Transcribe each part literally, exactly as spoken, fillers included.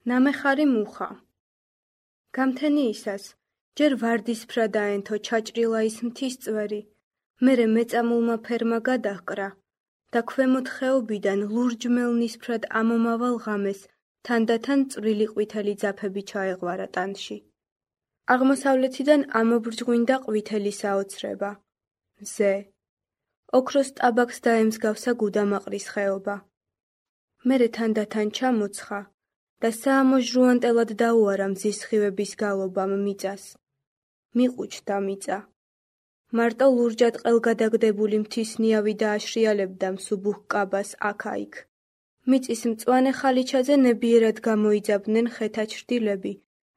ნამეხარი მუხა. გამთენიისას, ჯერ ვარდისფრა დაენთო ჩაჭრილა ის მთის წვერი, მერე მეწამულმა ფერმა გადაჰკრა და ქვემოთ ხეობიდან ლურჯ-მელნისფრად ამომავალ ღამეს თანდათან წვრილი ყვითელი ძაფები ჩაეღვარა ტანში. აღმოსავლეთიდან ამობრჯღვინდა ყვითელი საოცრება. მზე. ოქროს ტაბაკს დაემსგავსა გუდამაყრის ხეობა. მერე თანდათან ჩამოცხა და საამოჟრუანტელად დაუარა მზის სხივების გალობამ მიწას. მიყუჩდა მიწა. მარტო ლურჯად ყელგადაგდებული მთის ნიავი დააშრიალებდა მსუბუქ კაბას აქა-იქ. მიწის მწვანე ხალიჩაზე ნებიერად გამოიძაბნენ ხეთა ჩრდილები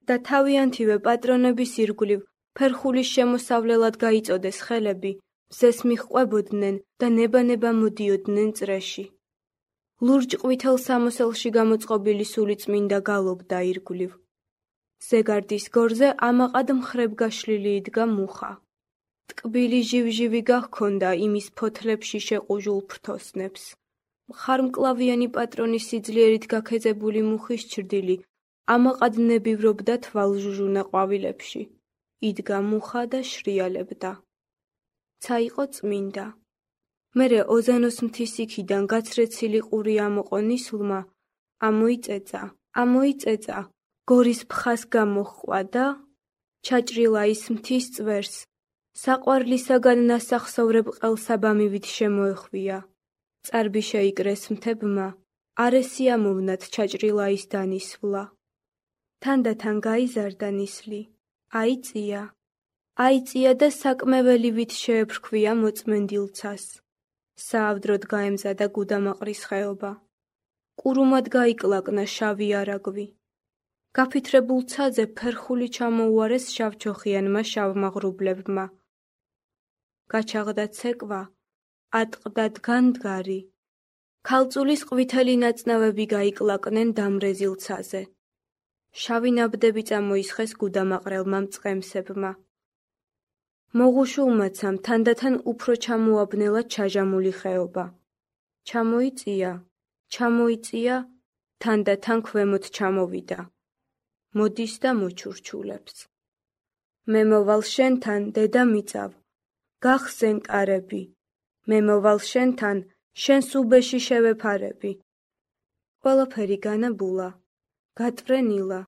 და თავიანთივე პატრონების ირგვლივ ფერხულის შემოსავლელად გაიწოდეს ხელები, მზეს მიჰყვებოდნენ და ნება-ნება მოდიოდნენ წრეში. ლურჯ ყვითელ სამოსელში გამოწყობილი სულიწმინდა გალობდა ირგვლივ. ზეგარდის გორზე ამაყად მხრებ გაშლილი იდგა მუხა. ტკბილი ჟივჟივი გაჰქონდა იმის ფოთლებში შეყუჟულ ფრთოსნებს. მხარმკლავიანი პატრონის სიძლიერით გაქეძებული მუხის ჩრდილი ამაყად ნებივრობდა თვალჟუჟუნა ყვავილებში. იდგა მუხა და შრიალებდა. ცა იყო წმინდა. მერე ოზანოს მთის იქიდან გაცრეცილი ყური ამოყო ნისლმა, ამოიწეწა, ამოიწეწა, გორის ფხას გამოჰყვა და ჩაჭრილა ის მთის წვერს, საყვარლისაგან ნასახსოვრებ ყელსაბამივით შემოეხვია. წარბი შეიკრეს მთებმა, არესი ამოვნათ ჩაჭრილა ის დანისვლა. თანდათან გაიზარდა ნისლი, აიწია, აიწია და საკმეველივით შეეფრქვია მოწმენდილ ცას. საავდროდ გაემზადა გუდამაყრის ხეობა. კურუმად გაიკლაკნა შავი არაგვი. გაფითრებულ ცაზე ფერხული ჩამოუარეს შავჩოხიანმა შავმაღრუბლებმა. გაჩაღდა ცეკვა, ატყდა დგანდგარი. ქალწულის ყვითელი ნაწნავები გაიკლაკნენ დამრეზილ ცაზე. შავი ნაბდები წამოისხეს გუდამაყრელმა მწყემსებმა. მოღუშულმაცამ თანდათან უფრო ჩამოაბნელა ჩაჟამული ხეობა. ჩამოიწია, ჩამოიწია, თანდათან ქვემოთ ჩამოვიდა. მოდის და მოჩურჩულებს. მე მოვალ შენთან, დედამიწავ, გახსენ კარები, მე მოვალ შენთან, შენს უბეში შევეფარები. ყველაფერი განაბულა, გატვრენილა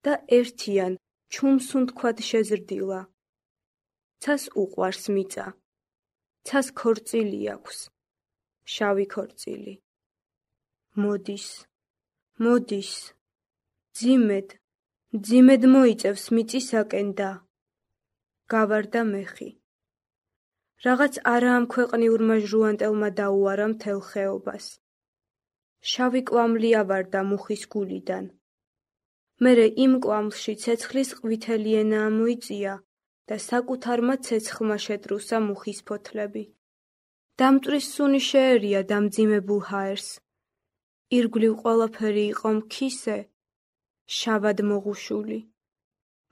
და ერთიან ჩუმსუნთქვად შეზრდილა. ცას უყვარს მიწა. ცას ქორწილი აქვს. შავი ქორწილი. მოდის, მოდის. ძიმედ, ძიმედ მოიწევს მიწისაკენ და გავარდა მეხი. რაღაც არაამქვეყნიურმა ჟრუანტელმა დაუარა მთელ ხეობას. შავი კვამლი ავარდა მუხის გულიდან. მერე იმ კვამლში ცეცხლის ყვითელი ენა ამოიწია და საკუთარმა ცეცხლმა შეტრუსა მუხის ფოთლები. დამტვრის სუნი შეერია დამძიმებულ ჰაერს. ირგვლივ ყველაფერი იყო მქისე, შავად მოღუშული.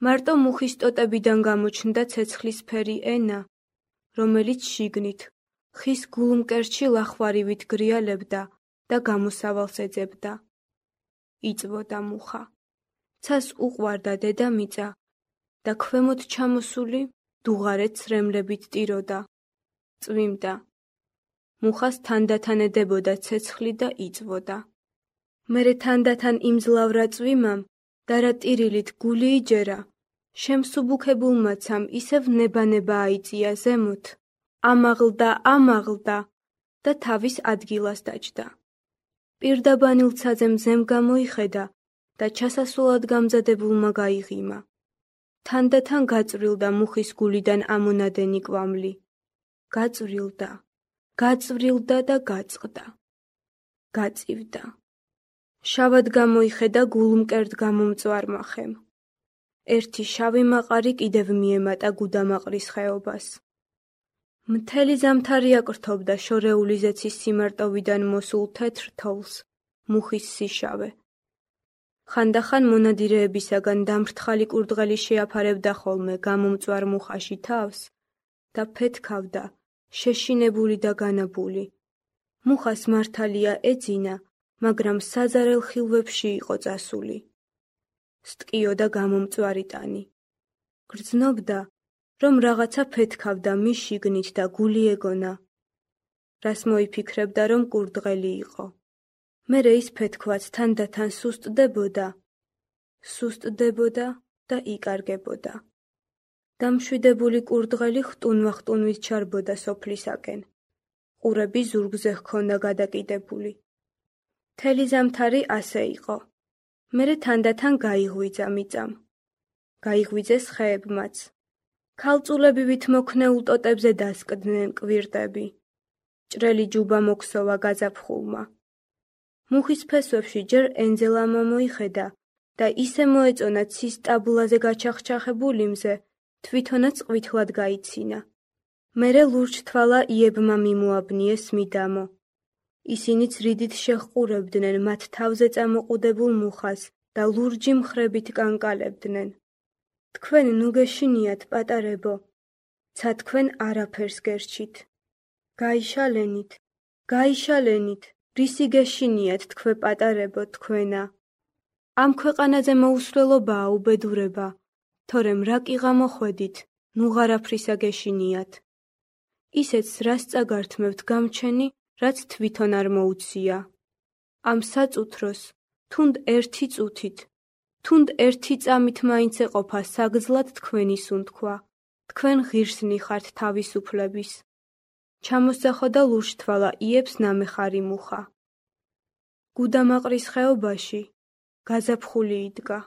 მარტო მუხის ტოტებიდან გამოჩნდა ცეცხლისფერი ენა, რომელიც შიგნით, ხის გულმკერდში ლახვარივით გრიალებდა და გამოსავალს ეძებდა. იწვოდა მუხა. ცას უყვარდა დედამიწა და ქვემოთ ჩამოსული დუღარეთ ცრემლებით ტიროდა. წვიმდა. მუხას თანდათან ედებოდა ცეცხლი და იწვოდა. მერე თანდათან იმძლავრა წვიმამ და რა ტირილით გული იჯერა, შემსუბუქებულმაცამ ისევ ნება-ნება აიწია ზემოთ, ამაღლდა, ამაღლდა და თავის ადგილას დაჯდა. პირდაბანილ ცაზე მზემ გამოიხედა და ჩასასვლელად გამზადებულმა გაიღიმა. თანდათან გაწვრილდა მუხის გულიდან ამონადენი კვამლი. გაწვრილდა, გაწვრილდა და გაწყდა. გაწივდა. შავად გამოიხედა გულმკერდ გამომწვარმა ხემ. ერთი შავი მაყარი კიდევ მიემატა გუდამაყრის ხეობას. მთელი ზამთარი აკრთობდა შორეული ზეცის სიმარტოვიდან მოსულ თეთრ თოვლს, მუხის სიშავე. ხანდახან მონადირეებისაგან დამრთხალი კურდღელი შეაფარებდა ხოლმე გამომწვარ მუხაში თავს და ფეთქავდა, შეშინებული და განაბული. მუხას მართალია ეძინა, მაგრამ საზარელ ხილვებში იყო წასული. სტკიო და გამომწვარი ტანი. გრძნობდა, რომ რაღაცა ფეთქავდა მის შიგნით და გული ეგონა. რას მოიფიქრებდა, რომ კურდღელი იყო. მერე ის ფეთქვაც თანდათან სუსტდებოდა, სუსტდებოდა და იკარგებოდა. დამშვიდებული კურდღელი ხტუნვა-ხტუნვით ჩარბოდა სოფლისაკენ. ყურები ზურგზე ჰქონდა გადაკიდებული. მთელი ზამთარი ასე იყო. მერე თანდათან გაიღვიძა მიწამ. გაიღვიძეს ხეებმაც. ქალწულებივით მოქნეულ ტოტებზე დასკდნენ კვირტები. ჭრელი ჯუბა მოქსოვა გაზაფხულმა. მუხის ფესვებში ჯერ ენძელამა მოიხედა და ისე მოეწონა ცის ტაბლაზე გაჩახჩახებული მზე, თვითონაც ყვითლად გაიცინა. მერე ლურჯთვალა იებმა მიმოაბნიეს მიდამო. ისინიც რიდით შეჰყურებდნენ მათ თავზე წამოყუდებულ მუხას და ლურჯი მხრებით კანკალებდნენ. თქვენ ნუ გეშინიათ, პატარებო, ცა თქვენ არაფერს გერჩით. გაიშალენით, გაიშალენით, რისი გეშინიათ თქვე პატარებო თქვენა. ამ ქვეყანაზე მოუსვლელობაა უბედურება, თორემ რა კიღა მოხვედით, ნუ ღარაფრისა გეშინიათ. ისეც რას წაგართმევთ გამჩენი, რაც თვითონ არ მოუცია. ამ საწუთროს, თუნდ ერთი წუთით, თუნდ ერთი წამით მაინც ეყოფა საგზლად თქვენი სუნთქვა, თქვენ ღირსნი ხართ თავისუფლების. ჩამოსძახო და ლურჯთვალა იებს ნამეხარი მუხა. გუდამაყრის ხეობაში გაზაფხული იდგა.